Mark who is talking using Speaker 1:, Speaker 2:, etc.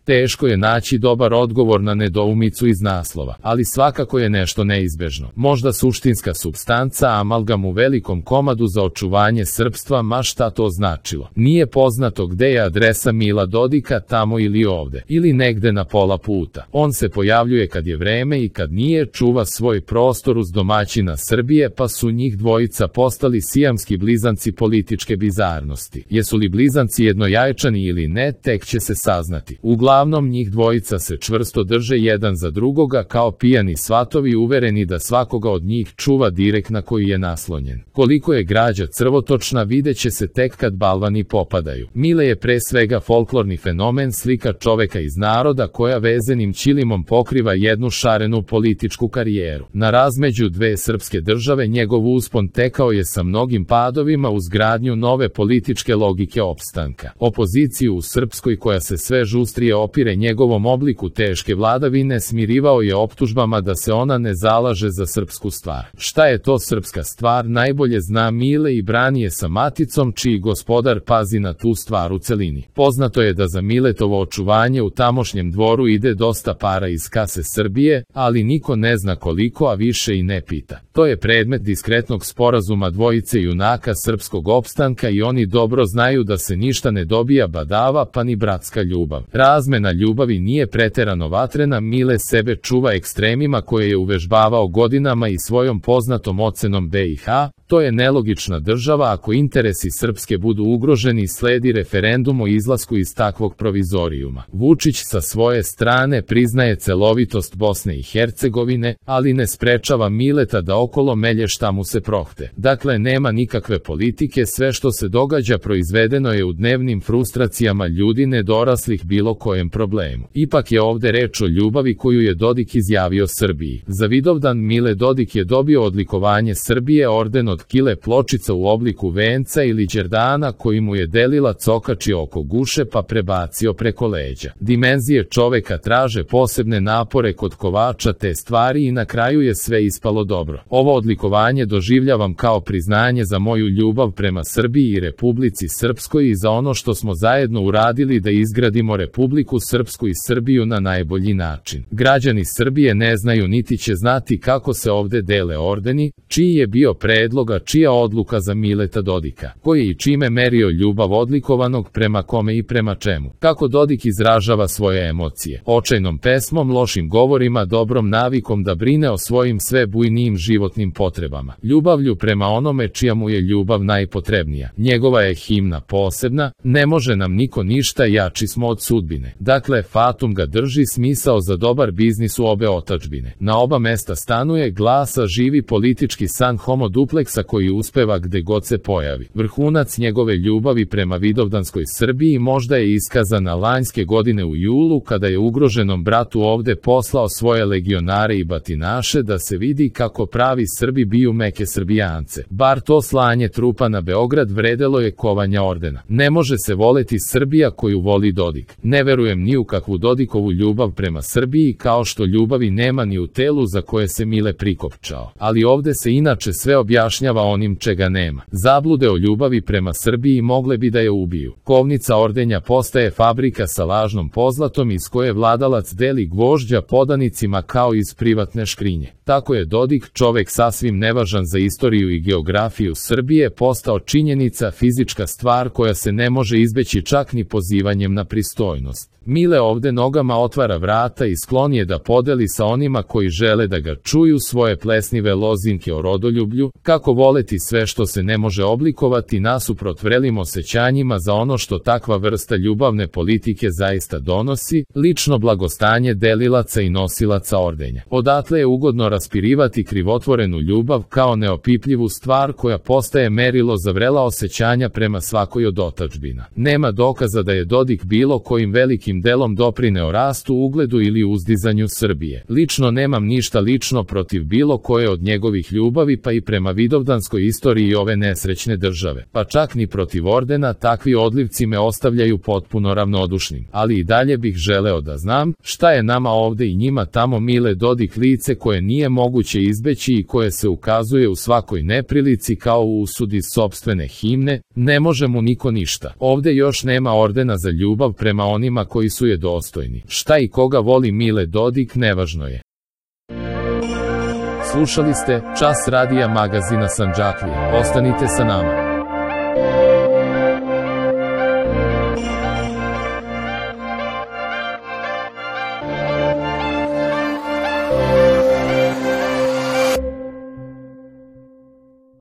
Speaker 1: Teško je naći dobar odgovor na nedoumicu iz naslova, ali svakako je nešto neizbežno. Možda suštinska supstanca, amalgam u velikom komadu za očuvanje srpstva, ma šta to značilo. Nije poznato gde je adresa Mila Dodika, tamo ili ovde, ili negde na pola puta. On se pojavljuje kad je vreme i kad nije, čuva svoj prostor uz domaćina Srbije, pa su njih dvojica postali sijamski blizanci političke bizarnosti. Jesu li blizanci jednojajčani ili ne, tek će se saznati. Uglavnom njih dvojica se čvrsto drže jedan za drugoga kao pijani svatovi, uvereni da svakoga od njih čuva direkt na koji je naslonjen. Koliko je građa crvotočna vidjet će se tek kad balvani popadaju. Mile je pre svega folklorni fenomen, slika čoveka iz naroda koja vezenim ćilimom pokriva jednu šarenu političku karijeru. Na razmeđu dve srpske države njegov uspon tekao je sa mnogim padovima uz gradnju nove političke logike opstanka. Opoziciju u Srpskoj koja se sve žustrije opire njegovom obliku teške vladavine smirivao je optužbama da se ona ne zalaže za srpsku stvar. Šta je to srpska stvar najbolje zna Mile i brani je sa maticom čiji gospodar pazi na tu stvar u celini. Poznato je da za Miletovo očuvanje u tamošnjem dvoru ide dosta para iz kase Srbije, ali niko ne zna koliko, a više i ne pita. To je predmet diskretnog sporazuma dvojice junaka srpskog opstanka i oni dobro znaju da se ništa ne dobija badava pa ni bratska ljubav. Razmena ljubavi nije preterano vatrena, Mile sebe čuva ekstremima koje je uvežbavao godinama i svojom poznatom ocenom BiH, to je nelogična država, ako interesi Srpske budu ugroženi sledi referendum o izlasku iz takvog provizorijuma. Vučić sa svoje strane priznaje celovitost Bosne i Hercegovine, ali ne sprečava Mileta da okolo melje šta mu se prohte. Dakle, nema nikakve politike, sve što se događa proizvedeno je u dnevnim frustracijama ljudi nedoraslih bilo kojem problemu. Ipak je ovde reč o ljubavi koju je Dodik izjavio Srbiji. Za Vidovdan Mile Dodik je dobio odlikovanje Srbije, orden od kile pločica u obliku venca ili đerdana koji mu je delila cokači oko guše pa prebacio preko leđa. Dimenzije čoveka traže posebne napore kod kovača te stvari i na kraju je sve ispalo dobro. Ovo odlikovanje doživljavam kao priznanje za moju ljubav prema Srbiji i Republici Srpskoj i za ono što smo zajedno uradili da izgradimo Republiku Srpsku i Srbiju na najbolji način. Građani Srbije ne znaju niti će znati kako se ovde dele ordeni, čiji je bio predlog, a čija odluka za Mileta Dodika, koji i čime merio ljubav odlikovanog prema kome i prema čemu. Kako Dodik izražava svoje emocije? Očajnom pesmom, lošim govorima, dobrom navikom da brine o svojim sve bujnijim životnim potrebama. Ljubavlju prema onome čija mu je ljubav najpotrebnija. Njegova je himna posebna, ne može nam niko ništa, jači smo od sudbine. Dakle, fatum ga drži, smisao za dobar biznis u obe otadžbine. Na oba mesta stanuje, glasa živi politički san homo dupleksa koji uspeva gde god se pojavi. Vrhunac njegove ljubavi prema vidovdanskoj Srbiji možda je iskazana lanjske godine u julu kada je ugroženom bratu ovde poslao svoje legionare i batinaše da se vidi kako pravi Srbi biju meke Srbijance. Bar to slanje trupa na Beograd vredelo je kovanja ordena. Ne može se voleti Srbija koju voli Dodik. Ne verujem ni u kakvu Dodikovu ljubav prema Srbiji, kao što ljubavi nema ni u telu za koje se Mile prikopčao. Ali ovde se inače sve objašnjava onim čega nema. Zablude o ljubavi prema Srbiji mogle bi da je ubiju. Kovnica ordenja postaje fabrika sa lažnom pozlatom iz koje vladalac deli gvožđa podanicima kao iz privatne škrinje. Tako je Dodik, čovek sasvim nevažan za istoriju i geografiju Srbije, postao činjenica, fizička stvar koja se ne može izbeći čak ni pozivanjem na pristojnost. Mile ovde nogama otvara vrata i sklon je da podeli sa onima koji žele da ga čuju svoje plesnive lozinke o rodoljublju, kako voleti sve što se ne može oblikovati nasuprot vrelim osjećanjima za ono što takva vrsta ljubavne politike zaista donosi, lično blagostanje delilaca i nosilaca ordenja. Odatle je ugodno raspirivati krivotvorenu ljubav kao neopipljivu stvar koja postaje merilo za vrela osjećanja prema svakoj od otadžbina. Nema dokaza da je Dodik bilo kojim velikim delom doprineo rastu, ugledu ili uzdizanju Srbije. Lično nemam ništa lično protiv bilo koje od njegovih ljubavi, pa i prema vidovdanskoj istoriji ove nesrećne države. Pa čak ni protiv ordena, takvi odlivci me ostavljaju potpuno ravnodušnim. Ali i dalje bih želeo da znam šta je nama ovde i njima tamo Mile Dodik lice koje nije moguće izbeći i koje se ukazuje u svakoj neprilici kao u usudi sopstvene himne, ne može mu niko ništa. Ovde još nema ordena za ljubav prema onima koji koji su je dostojni. Šta i koga voli Mile Dodik nevažno je. Slušali ste Čas radija magazina Sandžaklija. Ostanite sa nama.